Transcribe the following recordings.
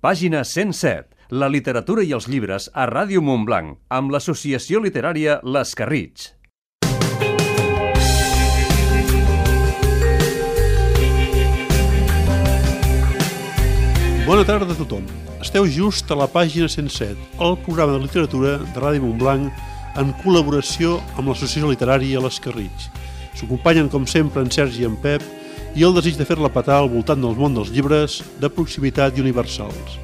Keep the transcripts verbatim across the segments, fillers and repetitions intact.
Pàgina cent set. La literatura i els llibres a Ràdio Montblanc, amb l'Associació Literària Les Carritx. Bona tarda a tothom. Esteu just a la pàgina cent set, el programa de literatura de Ràdio Montblanc en col·laboració amb l'Associació Literària Les Carritx. S'acompanyen, com sempre, en Sergi i en Pep i el desig de fer-la petar al voltant del món dels llibres de proximitat i universals.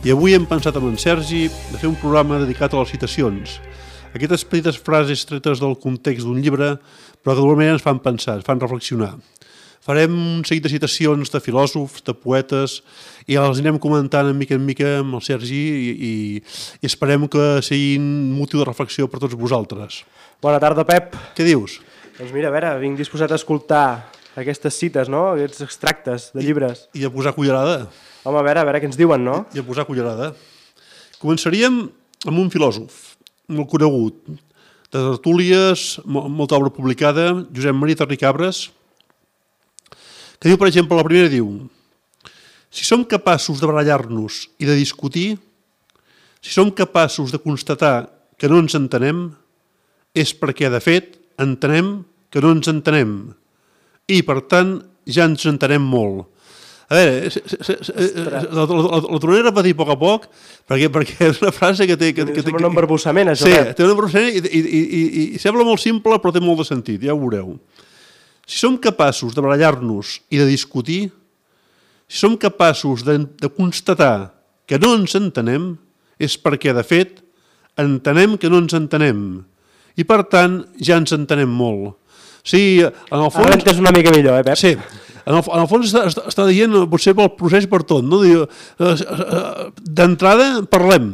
I avui hem pensat amb en Sergi de fer un programa dedicat a les citacions. Aquestes petites frases tretes del context d'un llibre, però que d'alguna manera ens fan pensar, ens fan reflexionar. Farem un seguit de citacions de filòsofs, de poetes, i els anem comentant en mica en mica amb el Sergi i, i, i esperem que siguin motiu de reflexió per tots vosaltres. Bona tarda, Pep. Què dius? Doncs mira, a veure, vinc disposat a escoltar aquestes cites, no? Aquests extractes de llibres. I, i a posar cullerada. Home, a veure, a veure què ens diuen, no? I a posar cullerada. Començaríem amb un filòsof molt conegut, de tertúlies, molta obra publicada, Josep Maria Terricabres, que diu, per exemple, la primera diu: si som capaços de barallar-nos i de discutir, si som capaços de constatar que no ens entenem, és perquè, de fet, entenem que no ens entenem. I, per tant, ja ens entenem molt. A veure, la, la, la, la tornaré a repetir a poc a poc, perquè, perquè és una frase que té... Que, que, sembla un embarbussament, això. Sí, té un embarbussament i, i, i, i, i sembla molt simple, però té molt de sentit, ja ho veureu. Si som capaços de barallar-nos i de discutir, si som capaços de, de constatar que no ens entenem, és perquè, de fet, entenem que no ens entenem. I, per tant, ja ens entenem molt. Sí, en el fons... Ara l'entens una mica millor, eh, Pep? Sí, en el, en el fons està, està, està dient, potser pel procés per tot, no? Diu, d'entrada, parlem.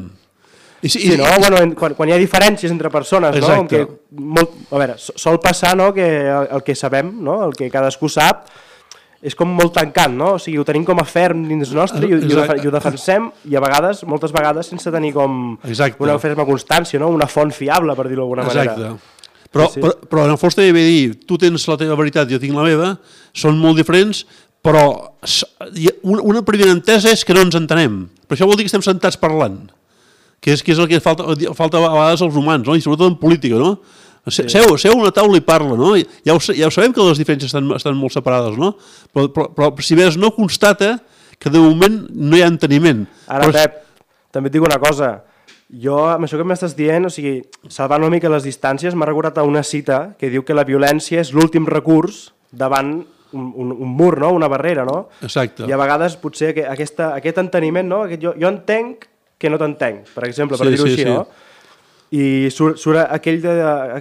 I, sí, i, no? I, bueno, quan, quan hi ha diferències entre persones, exacte. No? Que molt, a veure, sol passar, no?, que el, el que sabem, no?, el que cadascú sap, és com molt tancant, no? O sigui, ho tenim com a ferm dins nostre i, i, ho, i ho defensem, i a vegades, moltes vegades, sense tenir com exacte. Una ferma constància, no? Una font fiable, per dir-ho d'alguna manera. Exacte. Però, sí, sí. Però, però en el fons també ve dir, tu tens la teva veritat, jo tinc la meva, són molt diferents, però una primera entesa és que no ens entenem. Però això vol dir que estem sentats parlant, que és, que és el que falta, falta a vegades als humans, no? I sobretot en política, no? Sí. Seu, seu a una taula i parla, no? Ja ho, ja ho sabem que les diferències estan, estan molt separades, no? Però, però, però si més no constata que de moment no hi ha enteniment. Ara, però... Pep, també et dic una cosa. Jo, amb això que m'estàs dient, o sigui, salvant una mica les distàncies, m'ha recordat a una cita que diu que la violència és l'últim recurs davant un, un, un mur, no? Una barrera, no? Exacte. I a vegades potser aquesta, aquest enteniment, no? Aquest, jo, jo entenc que no t'entenc, per exemple, per sí, dir-ho sí, així, sí. no? I surt, surt aquell de,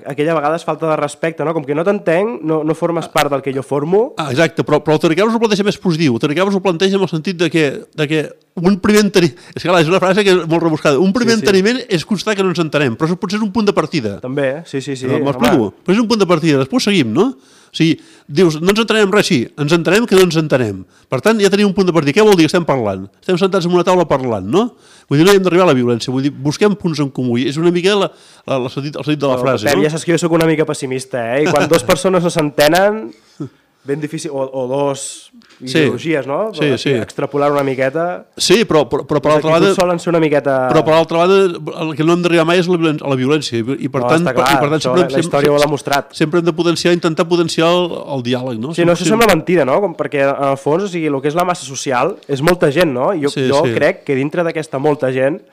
aquella vegades falta de respecte, no? Com que no t'entenc, no, no formes part del que jo formo. Ah, exacte, però, però el Terricabres ho planteja més positiu. El Terricabres ho planteja en el sentit de que, de que un primer enteniment... És que clar, és una frase que és molt rebuscada. Un primer sí, sí. enteniment és constatar que no ens entenem, però això potser és un punt de partida. També, sí, sí, sí. M'explico? Però és un punt de partida. Després seguim, no? O sigui, dius, no ens entenem res, sí, ens entenem que no ens entenem. Per tant, ja tenim un punt de partida. Què vol dir que estem parlant? Estem sentats en una taula parlant, no? Vull dir, no hem d'arribar a la violència, vull dir, busquem punts en comú. És una mica la, la, la sentit, el sentit de la frase, Pep, no? Ja saps que jo soc una mica pessimista, eh? I quan dues persones no s'entenen, ben difícil, o, o dos ideologies, sí, no? Sí, sí. Extrapolar una miqueta... Sí, però, però, però per l'altra banda... solen ser una miqueta... Però per l'altra banda, el que no hem d'arribar mai és la violència, a la violència. I per no, tant, està clar, i per tant sempre, la història ho ha demostrat. Sempre hem de potenciar, intentar potenciar el, el diàleg, no? Sí, no, això sembla mentida, no? Com perquè en el fons, o sigui, el que és la massa social és molta gent, no? Jo, sí, jo sí. crec que dintre d'aquesta molta gent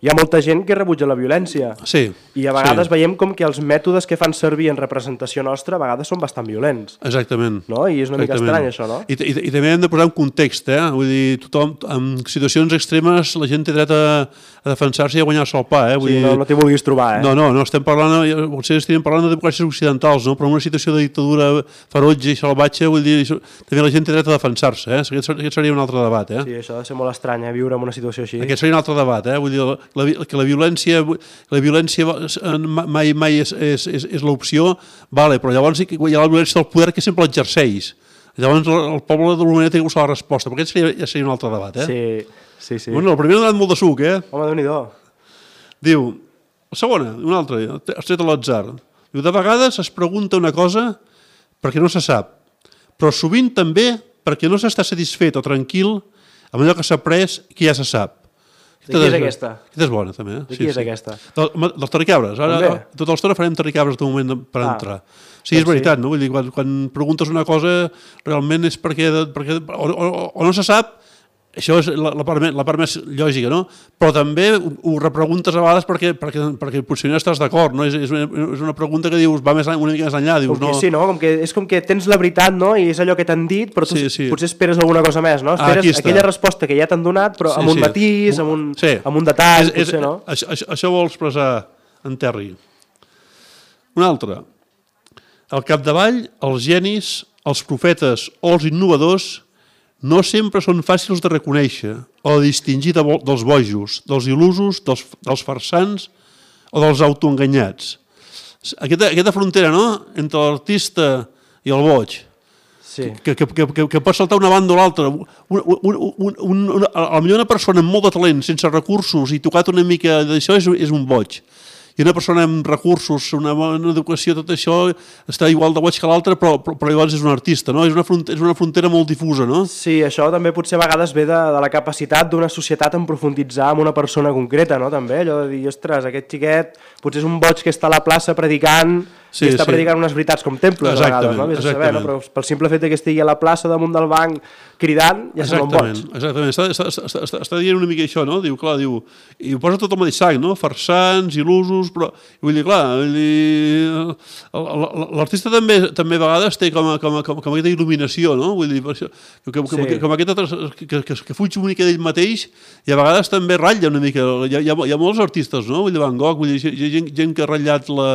hi ha molta gent que rebutja la violència. Sí. I a vegades sí. veiem com que els mètodes que fan servir en representació nostra a vegades són bastant violents. Exactament. No? I és una Exactament. mica estrany, això, no? I, i, I també hem de posar un context, eh? Vull dir, tothom, en situacions extremes, la gent té dret a, a defensar-se i a guanyar-se el pa, eh? Vull sí, dir... no, no t'hi vulguis trobar, eh? No, no, no estem parlant, potser estem parlant de democràcies occidentals, no? Però en una situació de dictadura ferotge i salvatge, vull dir, també la gent té dret a defensar-se, eh? Aquest, aquest seria un altre debat, eh? Sí, això ha de ser molt estrany, eh? Viure en una situació així. Aquest seria un altre debat, eh? Vull dir, la, que la violència la violència mai, mai és, és, és, és l'opció, vale, però llavors hi ha la violència del poder que sempre l'exerceix. Llavors el poble d'alguna manera té que buscar la resposta, perquè aquest seria, ja seria un altre debat, eh? Sí, sí, sí. Bueno, el primer ha donat molt de suc, eh? Home, Déu-n'hi-do. Diu, la segona, una altra, has tret a l'atzar. Diu, de vegades es pregunta una cosa perquè no se sap, però sovint també perquè no s'està satisfet o tranquil amb allò que s'ha après que ja se sap. De qui és aquesta? Aquesta és bona, també. De qui és aquesta? Dels terricabres. Ara, tota l'estona farem terricabres de moment per entrar. Sí, és veritat, no? Vull dir, quan, quan preguntes una cosa, realment és perquè... perquè o, o, o no se sap, això és la, la, part més, la part més lògica, no? Però també ho, ho repreguntes a vegades perquè, perquè, perquè potser no estàs d'acord, no? És, és, una, és una pregunta que dius, va més, una mica més enllà. Dius, com que, no... Sí, no? Com que, és com que tens la veritat, no? I és allò que t'han dit, però tu sí, sí. potser esperes alguna cosa més, no? Esperes ah, aquella resposta que ja t'han donat, però sí, amb un sí. matís, amb un, sí. amb un detall, és, és, potser, no? Això, això, això vol expressar en Terry. Un altre. Al capdavall, els genis, els profetes o els innovadors no sempre són fàcils de reconèixer o de distingir de bo, dels bojos, dels il·lusos, dels, dels farsants o dels autoenganyats. Aquesta, aquesta frontera, no?, entre l'artista i el boig, sí. que, que, que, que, que pot saltar una banda o l'altra. Un, un, un, un, un, a millor una persona amb molt de talent, sense recursos i tocat una mica d'això, és, és un boig. I una persona amb recursos, una bona educació, tot això, està igual de boig que l'altre, però, però, però llavors és un artista, no? És una, frontera, és una frontera molt difusa, no? Sí, això també potser a vegades ve de, de la capacitat d'una societat en profunditzar en una persona concreta, no? També, allò de dir, ostres, aquest xiquet potser és un boig que està a la plaça predicant, sí, que està sí. predicant unes veritats com temples, a vegades, no? Vés a saber, no? Però pel simple fet que estigui a la plaça damunt del banc cridant, ja sembla un boig. Exactament, està, està, està, està, està dient una mica això, no? Diu, clar, diu, i ho posa tot el mateix sac, no? Farsants, il·lusos, però, vull dir, clar, l'artista també, també a vegades té com, com, com, com aquesta il·luminació, no? Vull dir, això, que, com, sí. com aquesta, que, que, que fuig una mica d'ell mateix i a vegades també ratlla una mica, hi ha, hi ha, hi ha molts artistes, no? Vull dir, Van Gogh, vull dir, hi ha gent, gent que ha ratllat la,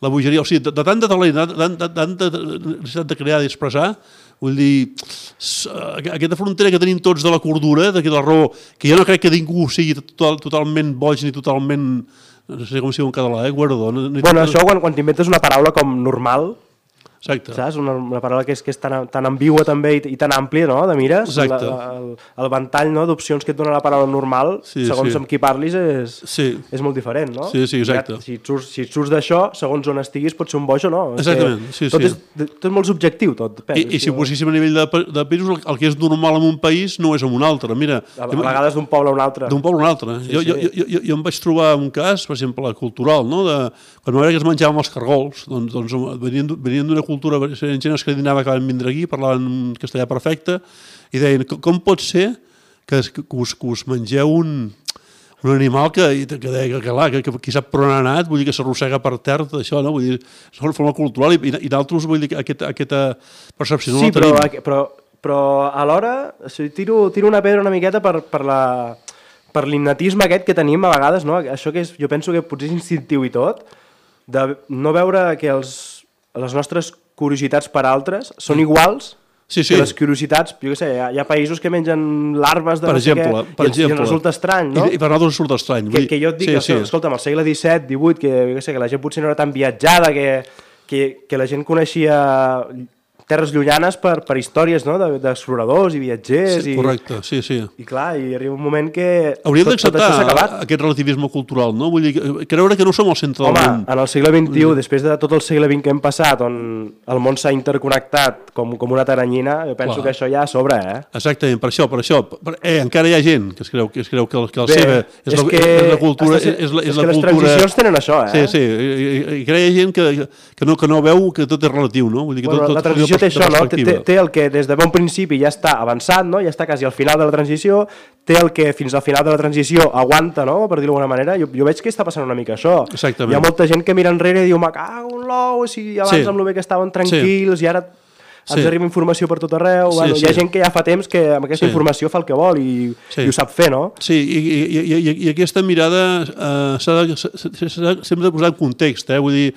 la bogeria, o sigui, de, de tant de talent, de, de, tanta necessitat de crear i expressar, vull dir, aquesta frontera que tenim tots de la cordura, de la raó, que jo no crec que ningú sigui total, totalment boig ni totalment, no sé com si diu en català, eh, guardó. No, bueno, això quan, quan t'inventes una paraula com normal, exacte. Saps? Una, una paraula que és, que és tan, tan ambigua també i, i tan àmplia, no?, de mires. La, el, el ventall, no?, d'opcions que et dona la paraula normal, sí, segons sí. amb qui parlis, és, sí. és molt diferent, no? Sí, sí, exacte. Ja, si et surts, si et surts d'això, segons on estiguis, pot ser un boig o no. Exactament, sí, tot sí. És, tot és molt subjectiu, tot. I, i si ho poséssim a nivell de, de països, el, el que és normal en un país no és en un altre. Mira, a, a vegades d'un poble a un altre. D'un poble a un altre. Sí, jo, sí. Jo, jo, jo, jo em vaig trobar un cas, per exemple, cultural, no?, de quan m'agrada que es menjaven els cargols, doncs, doncs venien, venien d'una cultura, gent escandinava que van vindre aquí, parlaven castellà perfecte, i deien, com pot ser que, que, us, que us mengeu un, un animal que, que, que, que, que, que qui sap per on ha anat, vull dir que s'arrossega per terra, tot això, no? Vull dir, és una forma cultural, i, i d'altres, vull dir, aquesta, aquesta percepció no sí, la tenim. Sí, però, però, però alhora, o sigui, tiro, tiro una pedra una miqueta per, per la... per l'innatisme aquest que tenim a vegades, no? Això que és, jo penso que potser és instintiu i tot, de no veure que els, les nostres curiositats per altres són iguals sí, sí. que les curiositats, jo què sé, hi ha, hi ha països que mengen larves de per no exemple, sé què, per i, exemple. i ens resulta estrany, no? I, i per nosaltres resulta estrany. Que, que jo et dic, sí, que, sí. escolta'm, al segle disset, divuit, que, jo què sé, que la gent potser no era tan viatjada, que, que, que la gent coneixia terres llunyanes per, per històries, no?, d'exploradors i viatgers. Sí, correcte, sí, sí. I clar, i arriba un moment que hauríem d'acceptar aquest relativisme cultural, no? Vull dir, creure que no som al centre Home, del món. en el segle vint-i-u, dir... després de tot el segle vint que hem passat, on el món s'ha interconnectat com, com una taranyina, jo penso clar. Que això ja sobra, eh? Exactament, per això, per això. Per, eh, encara hi ha gent que es creu que, es creu que, el, que el Bé, seva és, és, la, que és la cultura... És, és, la, és, és la que cultura... les transicions tenen això, eh? Sí, sí, i, i, i hi ha gent que, que, no, que no veu que tot és relatiu, no? Vull dir que bueno, tot, la transició té això, no? Té, té el que des de bon principi ja està avançat, no? Ja està quasi al final de la transició, té el que fins al final de la transició aguanta, no? Per dir-ho d'alguna manera. Jo, jo veig que està passant una mica això. Exactament. Hi ha molta gent que mira enrere i diu, me cago en l'ou, si abans sí. amb el bé que estaven tranquils sí. i ara... ens sí. arriba informació per tot arreu, sí, bueno, sí. hi ha gent que ja fa temps que amb aquesta sí. informació fa el que vol i, sí. i ho sap fer, no? Sí, i, i, i, i aquesta mirada eh, s'ha de, sempre de posar en context, eh? Vull dir,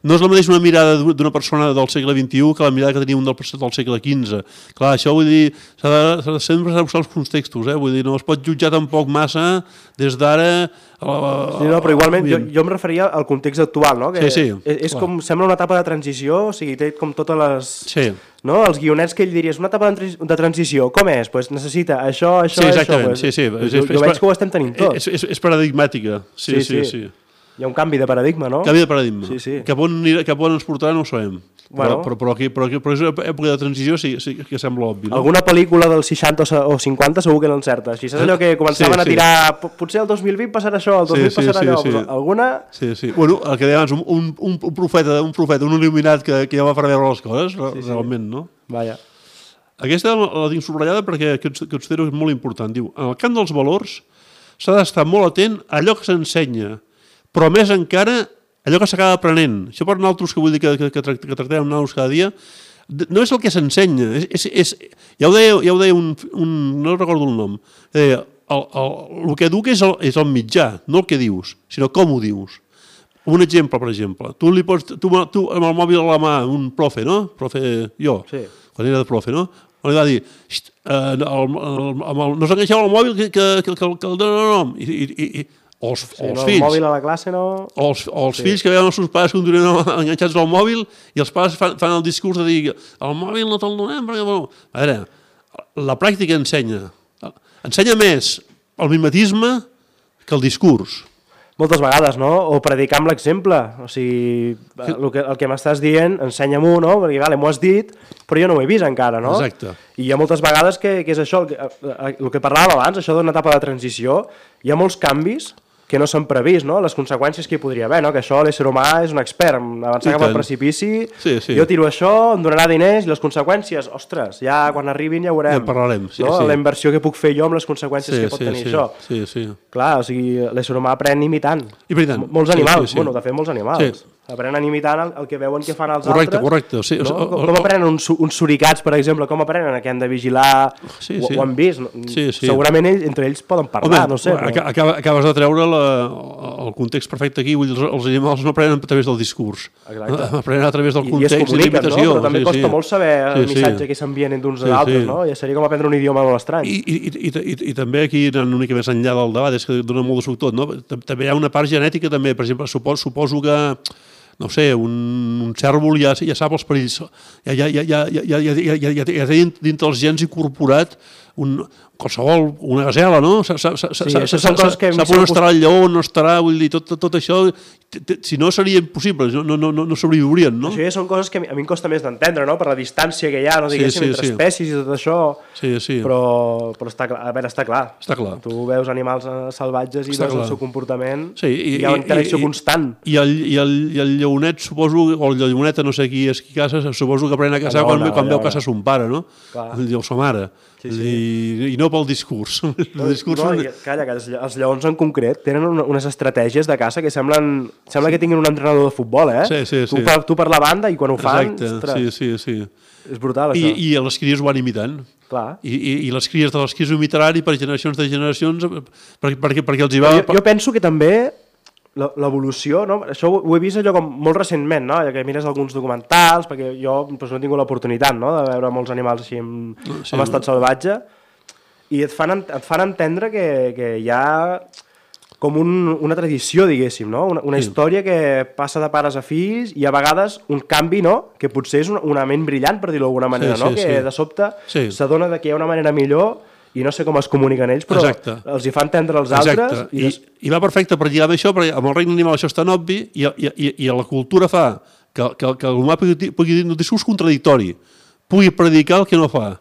no és la mateixa una mirada d'una persona del segle vint-i-u que la mirada que tenia un del, del segle quinze. Clar, això vull dir, s'ha de, de sempre de posar els contextos, eh? Vull dir, no es pot jutjar tampoc massa des d'ara... Sí, no, però igualment jo, jo em referia al context actual, no? Que sí, sí. És, és com, sembla una etapa de transició, o sigui, té com totes les... Sí. No? Els guionets que ell diries, una etapa de transició, com és? Pues necessita això, això, sí, exactament. això. Pues, sí, sí. jo, jo veig que ho estem tenint tot. És, és, és paradigmàtica, sí, sí, sí. sí. Hi ha un canvi de paradigma, no? Canvi de paradigma. Sí, sí. Cap on, cap on ens portarà no ho sabem. Bueno. Però, però, aquí, però, aquí, però és una època de transició sí, sí que sembla obvi. No? Alguna pel·lícula dels seixanta o cinquanta segur que l'encerta. Així saps allò que començaven sí, a tirar... Sí. Potser el dos mil vint passarà això, el dos mil sí, passarà sí, allò. Sí, sí. Alguna... Sí, sí. Bueno, el que deia abans, un, un, un, profeta, un profeta, un il·luminat que, que ja va preveure les coses, sí, sí. realment, no? Vaja. Aquesta la tinc subratllada perquè considero que és molt important. Diu, en el camp dels valors s'ha d'estar molt atent a allò que s'ensenya, però més encara allò que s'acaba aprenent. Això per nosaltres, que vull dir que, que, que tractem amb nosaltres cada dia, no és el que s'ensenya. És, és, és, ja ho deia, ja ho deia un, un... no recordo el nom. Deia, el, el, el que educa és el, és el mitjà, no el que dius, sinó com ho dius. Un exemple, per exemple. Tu, li pots, tu, tu amb el mòbil a la mà, un profe, no? Profe, jo, sí. Quan era de profe, no? Li va dir, eh, el, el, el, el, no s'enganxeu al mòbil que, que, que, que, que el dona nom. I, i, i, o els, sí, o els no, fills. El mòbil a la classe no... O els, o els sí. fills que veuen els seus pares que continuen enganxats al mòbil i els pares fan, fan el discurs de dir el mòbil no te'l donem perquè... Bueno, a veure, la pràctica ensenya. Ensenya més el mimetisme que el discurs. Moltes vegades, no? O predicar amb l'exemple. O sigui, el que, el que m'estàs dient, ensenya-m'ho, no? Perquè, vale, m'ho has dit, però jo no ho he vist encara, no? Exacte. I hi ha moltes vegades que, que és això, el que, el que parlàvem abans, això d'una etapa de transició, hi ha molts canvis que no s'han previst, no? Les conseqüències que hi podria haver, no? Que això l'ésser humà és un expert, avançar cap al precipici, sí, sí. Jo tiro això, em donarà diners, i les conseqüències, ostres, ja quan arribin ja ho veurem. Ja parlarem, sí, no? sí. La inversió que puc fer jo amb les conseqüències sí, que pot sí, tenir sí, això. Sí, sí. Clar, o sigui, l'ésser humà aprèn imitant. I per tant. Molts animals, sí, sí, sí. bueno, de fet molts animals. Sí. Aprenen imitant el, el que veuen que fan els correcte, altres. Correcte, correcte. Sí, no? Com, com aprenen uns, uns suricats, per exemple, com aprenen que han de vigilar, sí, ho, sí. ho han vist. Sí, sí. Segurament ells, entre ells poden parlar, Home, no sé. Però... Acabes, acabes de treure la, el context perfecte aquí, vull dir, els, els animals no aprenen a través del discurs. Exacte. Aprenen a través del context i, i l'imitació. No? Però també sí, costa sí. molt saber el sí, missatge sí. que s'envien d'uns sí, a d'altres, sí. no? Ja seria com aprendre un idioma molt estrany. I, i, i, i, i també aquí, anant una mica més enllà del debat, és que dona molt de suc tot, no? També hi ha una part genètica, també, per exemple, suposo, suposo que no sé, un, un cèrvol ja, ja sap els perills, ja, ja, ja, ja, ja, ja, ja, ja, ja, ja té dintre els gens incorporat un, qualsevol, una gasela, no? Sap on estarà el lleó, on no estarà, vull dir, tot, tot això, si no seria impossible, no, no, no, no sobreviurien, no? Això ja són coses que a mi em costa més d'entendre, no? Per la distància que hi ha, no diguéssim, sí, sí, entre sí. espècies i tot això, sí, sí. però, però està, clar, a veure, està clar. Està clar. Tu veus animals salvatges i està veus clar. El seu comportament, sí, i, hi ha una interacció i, constant. I el, i, el, I el lleonet, suposo, o el lleoneta, no sé qui és qui caça, suposo que aprèn a caçar quan, quan veu caçar son pare, no? Clar. O sa mare. Sí, sí. I, I no pel discurs. No, discurs no, i, calla, que els lleons en concret tenen unes estratègies de caça que semblen, sembla que tinguin un entrenador de futbol, eh? Sí, sí, sí. Tu, per, tu per la banda i quan ho fan... Exacte, ostres, sí, sí, sí. És brutal, I, això. I les cries ho van imitant. Clar. I, i, i les cries de les cries ho imitaran i per generacions de generacions perquè, perquè, perquè els hi va... Jo, jo penso que també l'evolució, no? Això ho he vist allò com molt recentment, no? Ja que mires alguns documentals, perquè jo doncs, no he tingut l'oportunitat, no? De veure molts animals així en, sí, en estat salvatge, i et fan, et fan entendre que, que hi ha com un, una tradició, diguéssim, no? Una, una sí. història que passa de pares a fills i a vegades un canvi, no? Que potser és una, una ment brillant, per dir-ho d'alguna manera, sí, sí, no? Que sí. De sobte sí. s'adona que hi ha una manera millor i no sé com es comuniquen ells, però Exacte. Els hi fan entendre els Exacte. Altres. I, des... I, I va perfecte per lligar amb això, perquè amb el regne animal això és tan obvi i, i, i, i la cultura fa que, que, que l'humà pugui, pugui dir un discurs contradictori, pugui predicar el que no fa.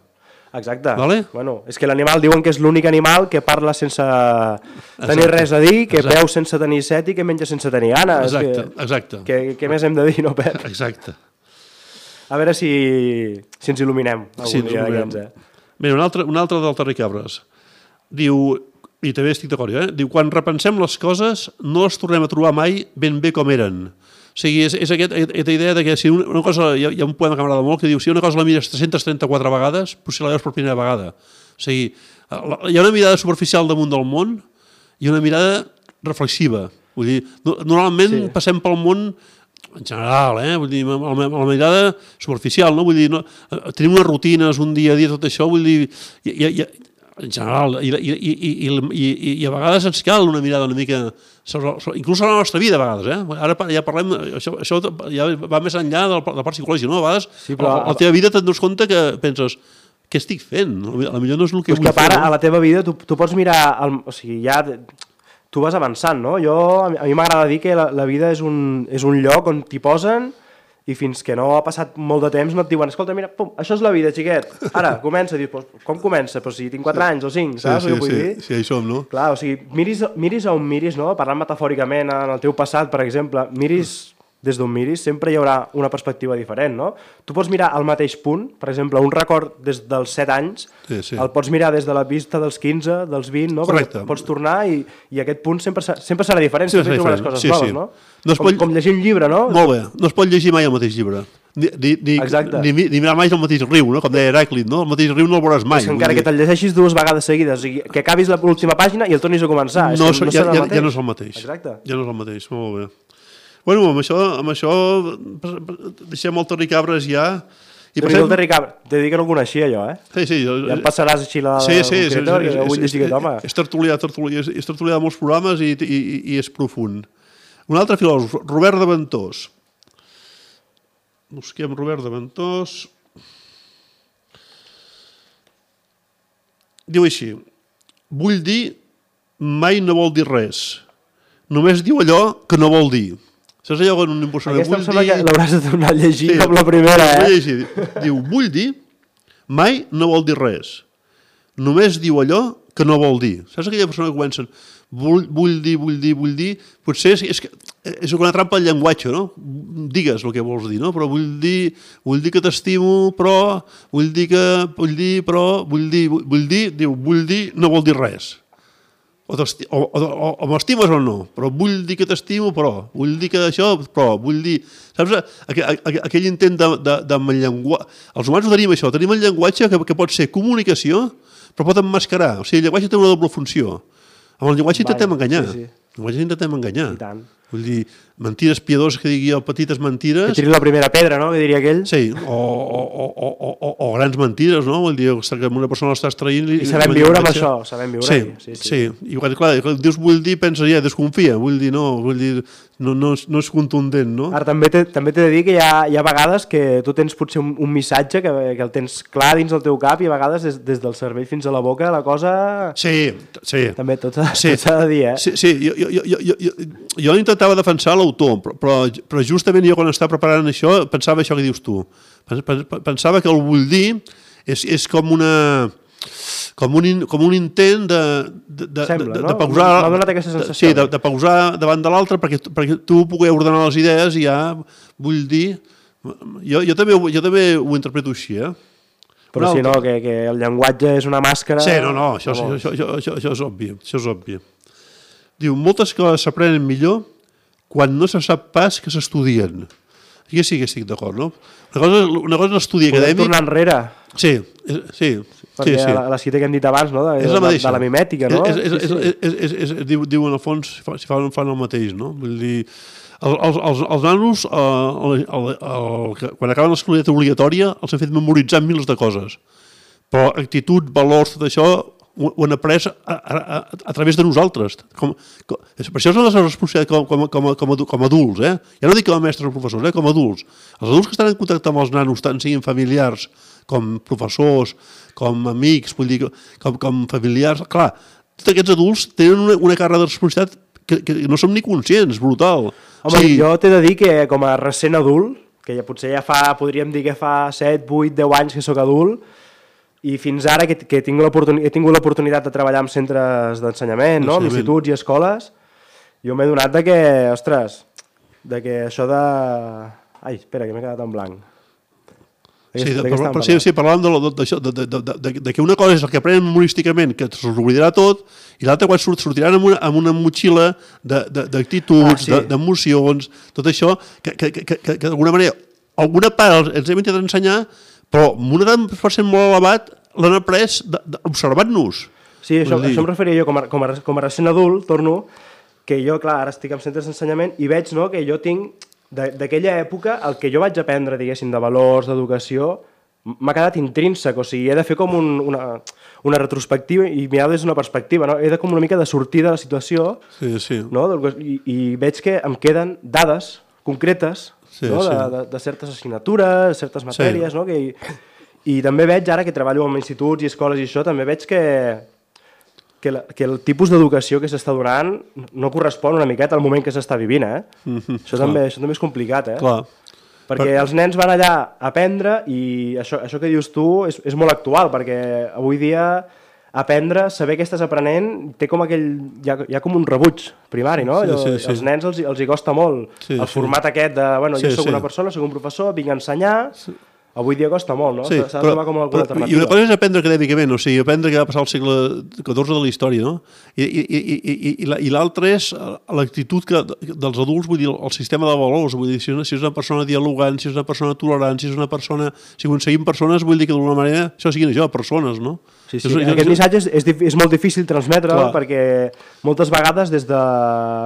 Exacte. Vale? Bueno, és que l'animal diuen que és l'únic animal que parla sense Exacte. Tenir res a dir, que Exacte. Beu sense tenir set i que menja sense tenir gana. Exacte. Que, Exacte. Que, que més hem de dir, no, Pep? Exacte. A veure si, si ens il·luminem algun sí, dia d'aquests, eh? Mira, un altre, un altre del Terri Cabres. Diu, i també estic d'acord, eh? Diu, quan repensem les coses no les tornem a trobar mai ben bé com eren. O sigui, és, és aquest, aquesta idea de que si una, una cosa, hi ha, hi ha un poema que m'agrada molt que diu si una cosa la mires tres-centes trenta-quatre vegades, potser la veus per primera vegada. O sigui, hi ha una mirada superficial damunt del món i una mirada reflexiva. Vull dir, normalment sí. passem pel món en general, eh? Vull dir, amb la mirada superficial, no? Vull dir, no, tenim unes rutines, un dia a dia, tot això, vull dir, hi, hi, hi, en general, i, i, i, i, i, i a vegades ens cal una mirada una mica, sobre, sobre, inclús sobre la nostra vida a vegades, eh? Ara ja parlem, això, això ja va més enllà de la part psicològica, no? A vegades sí, però... a la teva vida te'n dones compte que penses, què estic fent? A lo millor no és el que vull que fer. Ara, no? A la teva vida tu, tu pots mirar, el, o sigui, ja... tu vas avançant, no? Jo, a mi m'agrada dir que la, la vida és un, és un lloc on t'hi posen i fins que no ha passat molt de temps no et diuen, escolta, mira, pum, això és la vida, xiquet, ara, comença, dius, pues, com comença? Pues si tinc quatre anys o cinc, saps? Sí, sí, sí, sí, sí, hi som, no? Clar, o sigui, miris, miris on miris, no? Parlant metafòricament en el teu passat, per exemple, miris des d'on miris, sempre hi haurà una perspectiva diferent, no? Tu pots mirar al mateix punt, per exemple, un record des dels set anys, sí, sí. el pots mirar des de la vista dels quinze, dels vint, no? Correcte. Pots tornar i, i aquest punt sempre, sempre serà diferent, Sí, sempre serà trobaràs diferent. coses Sí, noves, sí. no? No es com, pot- com llegir un llibre, no? Molt bé, no es pot llegir mai el mateix llibre. Ni, ni, ni, Exacte. ni, ni mirar mai el mateix riu, no? Com deia Heràclit, no? El mateix riu no el veuràs mai. És que encara que te'l llegeixis dues vegades seguides, o sigui, que acabis l'última pàgina i el tornis a començar. no, és que ja, serà ja, el mateix. ja no és el mateix. Exacte. Ja no és el mateix, molt bé. Bueno, amb això, amb això deixem el Terri Cabres ja. I Déu-n'hi-do el Terri Cabres. T'he dit que no el coneixia jo, eh? Sí, sí. Jo, Ja em passaràs així la sí, sí, sí, concreta, sí, que no vull llegir aquest home. És tertulià, tertulià, és, és tertulià de molts programes i, i, i és profund. Un altre filòsof, Robert de Ventós. Busquem Robert de Ventós. Diu així: vull dir mai no vol dir res. Només diu allò que no vol dir. Saps allò que un impostor Aquesta em vull sembla dir... que l'hauràs de tornar a llegir Sí, com la primera, vull eh? llegir. Diu, vull dir, mai no vol dir res. Només diu allò que no vol dir. Saps aquella persona que comencen, vull, vull dir, vull dir, vull dir, potser és, és, és una trampa al llenguatge, no? Digues el que vols dir, no? Però vull dir, vull dir que t'estimo, però, vull dir que, vull dir, però, vull dir, vull, vull dir, diu, vull dir, no vol dir res. O, o, o, o, o m'estimes o no, però vull dir que t'estimo, però, vull dir que això, però, vull dir... Saps? Aquell, aquell intent de, de, de llenguatge... Els humans ho tenim això, tenim el llenguatge que, que pot ser comunicació, però pot emmascarar. O sigui, el llenguatge té una doble funció. Amb el llenguatge intentem enganyar. Sí, sí. El llenguatge intentem enganyar. I tant. Vull dir, mentides piadoses que digui jo, petites mentires... Que tiri la primera pedra, no?, que diria aquell. Sí, o, o, o, o, o, o grans mentides, no? Vull dir, que una persona l'estàs traient... I sabem viure amb això, sabem viure. Sí, sí, sí. sí. I quan, clar, quan dius vull dir, pensa ja, desconfia, vull dir, no, vull dir, no, no, és, no és contundent, no? Ara també t'he també t'he de dir que hi ha, hi ha vegades que tu tens potser un, un missatge que, que el tens clar dins del teu cap i a vegades des, des del cervell fins a la boca la cosa... Sí, sí. També tot s'ha Sí. de dir, eh? Sí, sí, jo, jo, jo, jo, jo, jo intentava defensar l'autor, però, però, però justament jo quan estava preparant això pensava això que dius tu. Pensava que el vull dir és, és com una... Com un, com un intent de, de, de, Sembla, de, no? de pausar... M'ha donat aquesta sensació. Sí, de, de pausar davant de l'altre perquè, perquè tu pugui ordenar les idees i ja vull dir... Jo, jo, també, jo també ho interpreto així, eh? Però si no, que, que el llenguatge és una màscara... Sí, no, no, això, això, això, això, això, això és obvi, això és obvi. Diu, moltes coses s'aprenen millor quan no se sap pas que s'estudien. Aquí sí que estic d'acord, no? Una cosa, una cosa és l'estudi acadèmic... Podem tornar enrere. Sí, sí. Perquè sí, sí. la, la cita que hem dit abans, no? De, És la de, mateixa. de la mimètica, no? És, és, Sí, sí. és, és, és, és, és, diu, diu en el fons si fan, fan el mateix, no? Vull dir, el, els, els, els nanos, eh, el, el, el, quan acaben l'escoleta obligatòria, els han fet memoritzar mils de coses. Però actitud, valors, tot això, ho, ho han après a, a, a, a través de nosaltres. Com, com, per això és la nostra responsabilitat com, com, com, com, com adults, eh? Ja no dic com a mestres o professors, eh? Com a adults. Els adults que estan en contacte amb els nanos, tant siguin familiars com professors, com amics, vull dir, com, com familiars... Clar, tots aquests adults tenen una, una càrrega de responsabilitat que, que no som ni conscients, brutal. Home, o sigui, jo t'he de dir que com a recent adult, que ja potser ja fa, podríem dir que fa set, vuit, deu anys que sóc adult, i fins ara que, que tinc he tingut l'oportunitat de treballar en centres d'ensenyament, no? En instituts i escoles, jo m'he donat de que, ostres, de que això de... Ai, espera, que m'he quedat en blanc. Sí, de, però, però, sí, sí, parlàvem d'això, de, de, de, de, de que una cosa és el que aprenen humorísticament, que s'oblidarà tot, i l'altra quan surt, sortiran amb una, amb una motxilla d'actituds, ah, sí. d'emocions, tot això, que, que, que, que, que d'alguna manera, alguna part ens hem intentat ensenyar, però amb un edat per cent molt elevat l'han après observant-nos. Sí, això, això em referia jo, com a, com, a, com a recent adult, torno, que jo, clar, ara estic en centres d'ensenyament i veig, no, que jo tinc... d'aquella època, el que jo vaig aprendre, diguéssim, de valors, d'educació, m'ha quedat intrínsec, o sigui, he de fer com un, una, una retrospectiva i mirar des d'una perspectiva, no? He de com una mica de sortir de la situació, sí, sí. No? I, i veig que em queden dades concretes, sí, no? de, sí. de, de certes assignatures, certes matèries, sí. No? Que, i, i també veig ara que treballo en instituts i escoles i això, també veig que, que, la, que el tipus d'educació que s'està donant no correspon una miqueta al moment que s'està vivint, eh? Mm-hmm, això, també, això també és complicat, eh? Clar. Perquè per... els nens van allà a aprendre i això, això que dius tu és, és molt actual, perquè avui dia aprendre, saber què estàs aprenent, té com aquell, hi ha, hi ha com un rebuig primari, no? Sí, sí, sí. Els nens els, els hi costa molt sí, el format sí. aquest de, bueno, jo sí, soc sí. una persona, soc un professor, vinc a ensenyar... Sí. Avui dia costa molt, no? Sí, s'ha de trobar com alguna però, alternativa. I una cosa és aprendre acadèmicament, o sigui, aprendre que va passar al segle catorze de la història, no? I, i, i, i, i l'altre és l'actitud que, dels adults, vull dir, el sistema de valors, vull dir, si és una persona dialogant, si és una persona tolerant, si és una persona... Si aconseguim persones, vull dir que d'alguna manera això siguin això, persones, no? Sí, sí. Aquest jo... missatge és, és, és molt difícil transmetre'l perquè moltes vegades des de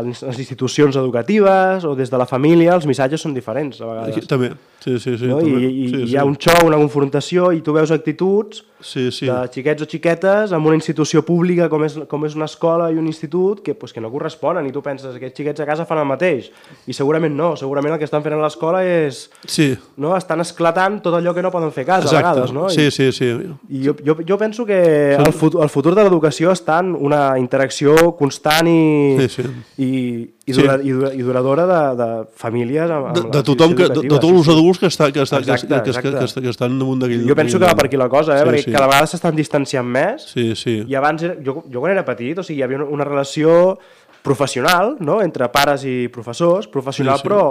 les institucions educatives o des de la família els missatges són diferents a vegades. Aquí, també, sí, sí, sí. No? També. I, i sí, hi ha sí. un xou, una confrontació i tu veus actituds sí, sí. de xiquets o xiquetes en una institució pública com és, com és una escola i un institut que, pues, que no corresponen i tu penses que aquests xiquets a casa fan el mateix i segurament no, segurament el que estan fent a l'escola és... Sí. No? Estan esclatant tot allò que no poden fer a casa. Exacte. A vegades, no? I, sí, sí, sí. I jo, jo, jo penso que el futur, el futur de l'educació està en una interacció constant i, sí, sí. i, i, dura, sí. i, dura, i duradora de, de famílies amb, amb de, de tothom, que, de, de tots els adults que, està, que, està, exacte, que, que, que, que, que estan damunt d'aquell... Jo penso que va per aquí la cosa, eh? Sí, perquè sí. cada vegada s'estan distanciant més sí, sí. i abans, era, jo, jo quan era petit, o sigui, hi havia una, una relació professional, no?, entre pares i professors, professional sí, sí. però...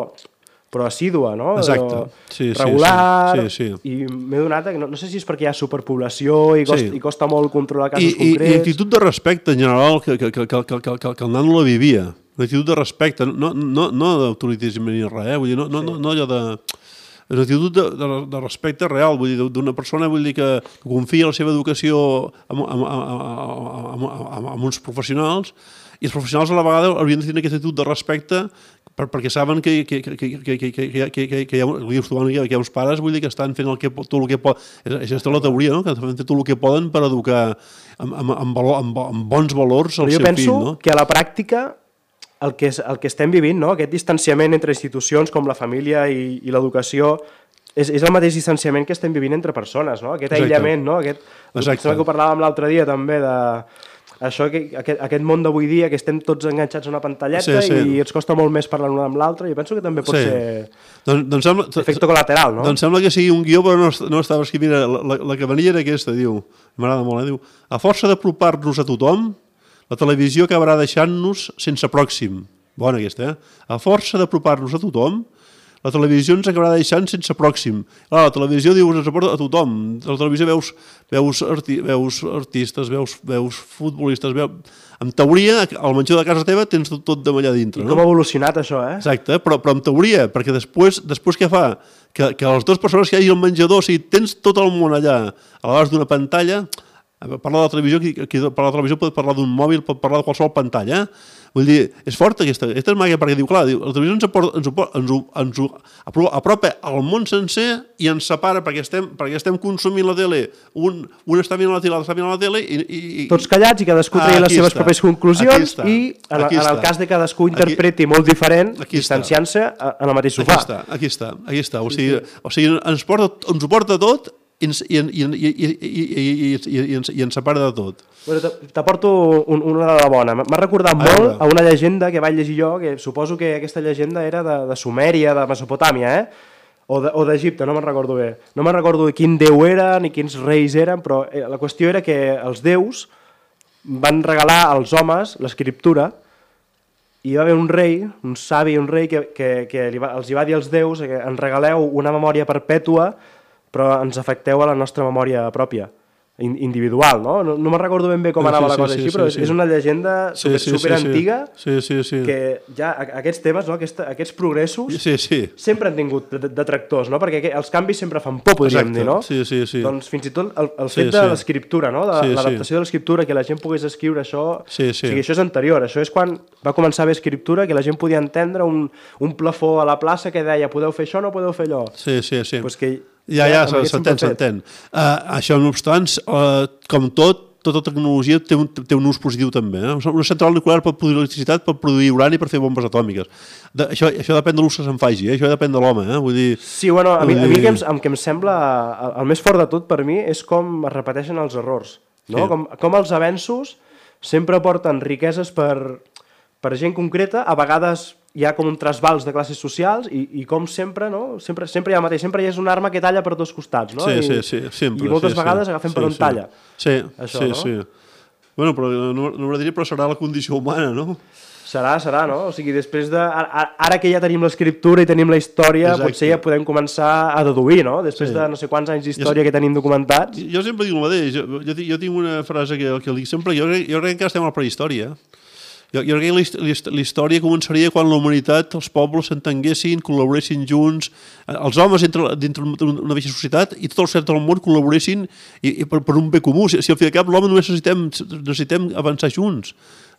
però assídua, no? Exacte. Sí, regular, sí, sí. Sí, sí. i m'he donat, no, no sé si és perquè hi ha superpoblació i costa, sí. i costa molt controlar casos I, concrets. I actitud de respecte en general que, que, que, que, que, que, que el nano la vivia. Una actitud de respecte, no, no, no d'autoritisme ni res, eh? Vull dir, no, no, no, no allò de... És una actitud de, de, de respecte real, vull dir, d'una persona vull dir, que, que confia en la seva educació amb, amb, amb, amb, amb, amb uns professionals, i els professionals a la vegada haurien de tenir aquesta actitud de respecte per, perquè saben que, que, que, que, que, que, que, que, que, hi ha, que hi ha uns pares vull dir, que estan fent el que, tot el que poden. És, és la teoria, no? Que estan fent tot el que poden per educar amb, amb, amb, valor, amb, amb bons valors al seu fill. Jo penso no? que a la pràctica el que, és, el que estem vivint, no? Aquest distanciament entre institucions com la família i, i l'educació, és, és el mateix distanciament que estem vivint entre persones, no? Aquest Exacte. aïllament, no? Aquest, Exacte. que ho parlàvem l'altre dia també de... Això, que, aquest, aquest món d'avui dia, que estem tots enganxats a una pantalleta sí, sí. i ens costa molt més parlar l'un amb l'altre, jo penso que també pot sí. ser doncs, doncs sembla, efecte col·lateral, no? Doncs sembla que sigui un guió, però no, no estava escrivint. La, la, la que venia era aquesta, diu, m'agrada molt, eh? Diu, a força d'apropar-nos a tothom, la televisió acabarà deixant-nos sense pròxim. Bona aquesta, eh? A força d'apropar-nos a tothom, la televisió ens acabarà deixant sense pròxim. Clar, la televisió dius, ens aporta a tothom. A la televisió veus, veus, arti, veus artistes, veus, veus futbolistes, veus... En teoria, al menjador de casa teva tens tot, tot d'allà dintre. I com no? ha evolucionat això, eh? Exacte, però, però en teoria, perquè després, després què fa? Que, que les dues persones que hi hagi al menjador, o sigui, tens tot el món allà, a l'abast d'una pantalla, parlar de la televisió, qui, qui parla de la televisió pot parlar d'un mòbil, pot parlar de qualsevol pantalla, eh? Vull dir, és forta aquesta, aquesta és màgia, perquè diu, clar, diu, la televisió ens, aporta, ens, ens, ens, ens apropa al món sencer i ens separa perquè estem, perquè estem consumint la tele, un, un està mirant la tele, l'altre està mirant la tele i, i... Tots callats i cadascú tregui les seves propers conclusions i en, en el cas de cadascú interpreti aquí, molt diferent, distanciant-se en el mateix sofà. Aquí està, aquí està, aquí està. O sigui, o sigui ens, porta, ens ho porta tot i ens, i, i, i, i, i, i, i, i, ens, i ens separa de tot. Bueno, t'aporto un, una de la bona. M'ha recordat molt a una llegenda que vaig llegir jo, que suposo que aquesta llegenda era de, de Sumèria, de Mesopotàmia, eh? o d'Egipte, no me'n recordo bé. No me'n recordo quin déu era ni quins reis eren, però la qüestió era que els déus van regalar als homes l'escriptura i hi va haver un rei, un savi, un rei que, que, que li va, els hi va dir als déus que ens regaleu una memòria perpètua però ens afecteu a la nostra memòria pròpia, individual, no? No, no me'n recordo ben bé com anava sí, sí, la cosa sí, així, però sí, sí. és una llegenda sí, sí, super sí, antiga sí, sí, sí. que ja aquests temes, no? Aquests, aquests progressos sí, sí. sempre han tingut detractors, no? Perquè els canvis sempre fan por, podríem Exacte. dir, no? Sí, sí, sí. Doncs fins i tot el, el sí, fet de sí. l'escriptura, no? De sí, l'adaptació sí. de l'escriptura, que la gent pogués escriure això, sí, sí. o sigui, això és anterior, això és quan va començar a haver escriptura, que la gent podia entendre un, un plafó a la plaça que deia podeu fer això o no podeu fer allò. Sí, sí, sí. Pues que Ja, ja, s'entén, s'entén. Uh, això, no obstant, uh, com tot, tota tecnologia té un, té un ús positiu també. Eh? Una central nuclear pot produir electricitat, pot produir urani per fer bombes atòmiques. De, això, això depèn de l'ús que se'n faci, eh? Això depèn de l'home. Eh? Vull dir... Sí, bueno, a mi, a mi el, que em, el que em sembla, el, el més fort de tot per mi és com es repeteixen els errors. No? Sí. Com, com els avenços sempre porten riqueses per, per gent concreta, a vegades hi ha com un trasbals de classes socials i, i com sempre, no? Sempre, sempre hi ha el mateix, sempre hi és una arma que talla per dos costats, no? Sí, I, sí, sí, sempre. I moltes sí, vegades sí. agafem sí, per on sí. talla. Sí, això, sí, no? sí. Bueno, però no, no m'agradaria, però serà la condició humana, no? Serà, serà, no? O sigui, després de... Ara, ara que ja tenim l'escriptura i tenim la història, Exacte. potser ja podem començar a deduir, no? Després Sí. de no sé quants anys d'història que tenim documentats. Jo sempre dic el mateix. Jo, jo, jo tinc una frase que, que dic sempre. Jo, crec- jo crec que estem a la prehistòria. Jo, jo crec que la hist- la hist- la història començaria quan la humanitat, els pobles s'entenguessin, col·laboressin junts, eh, els homes dintre, dintre una mateixa societat i tot el centre del món col·laboressin i, i per, per un bé comú. Si, si al fi de cap l'home només necessitem, necessitem avançar junts,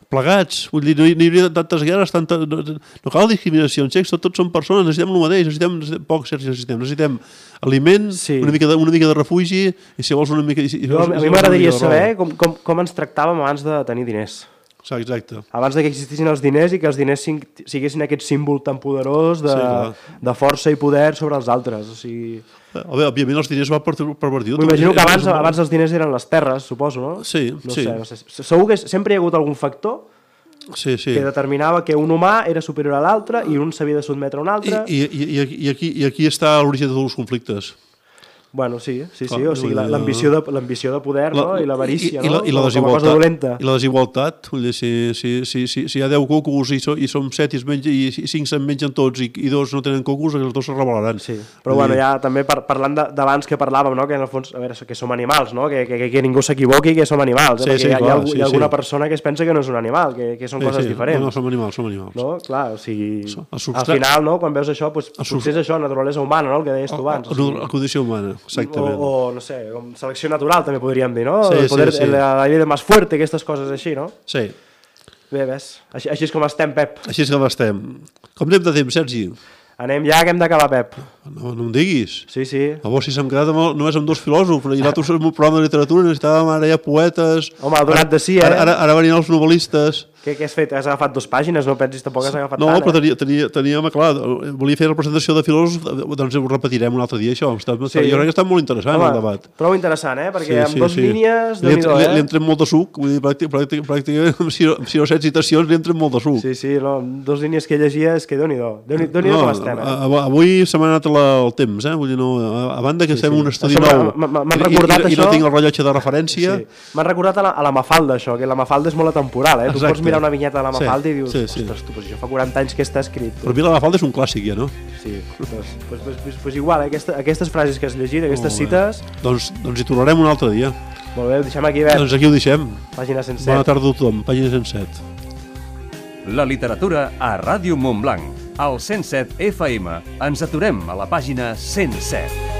plegats. Vull dir, no hi, no hi hauria tantes guerres, tanta, no, no cal discriminació, tots, tots són persones, necessitem el mateix, necessitem, necessitem poc, Sergi, necessitem, necessitem aliment, Sí. una, mica de, una mica de refugi i si vols una mica... I, si Jo, vols, a si mi vols m'agradaria una mica de saber roba. com, com, com ens tractàvem abans de tenir diners. Exacte, exacte. Abans de que existissin els diners i que els diners sing- siguessin aquest símbol tan poderós de, Sí, clar. de força i poder sobre els altres. O sigui, A veure, òbviament els diners van per, pervertir. m'imagino que abans, abans els diners eren les terres, suposo, no? Sí, no sí. Sé, no sé. Segur que sempre hi ha hagut algun factor Sí, sí. que determinava que un humà era superior a l'altre i un s'havia de sotmetre a un I, altre. i, i, i, aquí, i, aquí, I aquí està l'origen de tots els conflictes. Bueno, sí, sí, sí. Clar, O sigui, la- vull dir, l'ambició de, l'ambició de poder, no? I l'avarícia, i, i, la, no? i, la Com- com a cosa dolenta. desigualtat, I la desigualtat. Vull dir, si, si, si, si, si hi ha deu cocos i, so, i som set i, es menja, i cinc se'n mengen tots i, i dos no tenen cocos, els dos se rebel·laran. Sí, però bueno, ja també par parlant de- d'abans que parlàvem, no? Que en el fons, a veure, que som animals, no? Que, que, que ningú s'equivoqui que som animals, eh? Sí, Perquè sí, hi ha, hi ha, clar, algú- sí, hi ha alguna sí. persona que es pensa que no és un animal, que, que són Sí, coses sí. diferents. No, no, som animals, som animals. No? Clar, o sigui, El al substrat- final, no? Quan veus això, doncs, El potser substrat- és això, naturalesa humana, no? El que deies tu abans. o La, sigui, la condició humana, exactament. o, o, no sé, com selecció natural, també podríem dir, no? Sí, el poder, sí, sí. La, la llei de más fuerte, aquestes coses així, no? Sí, Bé, ves, així, així és com estem, Pep. així és com estem. Com anem de temps, Sergi? Anem ja, que hem d'acabar, Pep. No, no em diguis. Sí, sí. Llavors, si s'hem quedat amb, el- només amb dos filòsofs, i nosaltres en un programa de literatura necessitàvem ara ja poetes... Home, ha donat de sí, eh? Ara, ara, ara venien els novel·listes... Què, què has fet? Has agafat dues pàgines? No pensis tampoc has agafat No, tant, però eh? tenia, tenia, teníem, clar, volia fer la presentació de filòsofs, doncs ho repetirem un altre dia, això. Està, Sí. Jo crec que està molt interessant, Home, el debat. prou interessant, eh? Perquè amb dos línies, Li, déu-n'hi-do, li, eh? li entrem molt de suc, vull dir, pràctic, pràctic, pràcticament, amb sis, sis o set citacions li entrem molt de suc. Sí, sí, no, amb dos línies que llegia és que déu-n'hi-do. Déu-n'hi-do déu no, com estem, eh? a- avui se m'ha anat la, el temps, eh? Vull dir, no, a, a banda que Sí, fem sí. un estudi Això nou m'ha- m'ha- m'han i, recordat i, i no això. tinc el rellotge de referència... Sí. M'han recordat a la, a la Mafalda, això, que la Mafalda és molt atemporal, eh? Tu Exacte. pots mirar una vinyeta de la Sí, Mafalda i dius, sí, sí. ostres, tu, pues això fa quaranta anys que està escrit. Però a mi la Mafalda és un clàssic, ja, no? Sí, doncs, pues, pues, pues, pues igual, eh? Aquesta, aquestes frases que has llegit, aquestes Molt bé. cites, Doncs, doncs hi tornarem un altre dia. molt bé, ho deixem aquí, bé, Doncs aquí ho deixem. pàgina cent Bona set. tarda a tothom, pàgina cent set. La literatura a Ràdio Montblanc. Al cent set F M ens aturem a la pàgina cent set.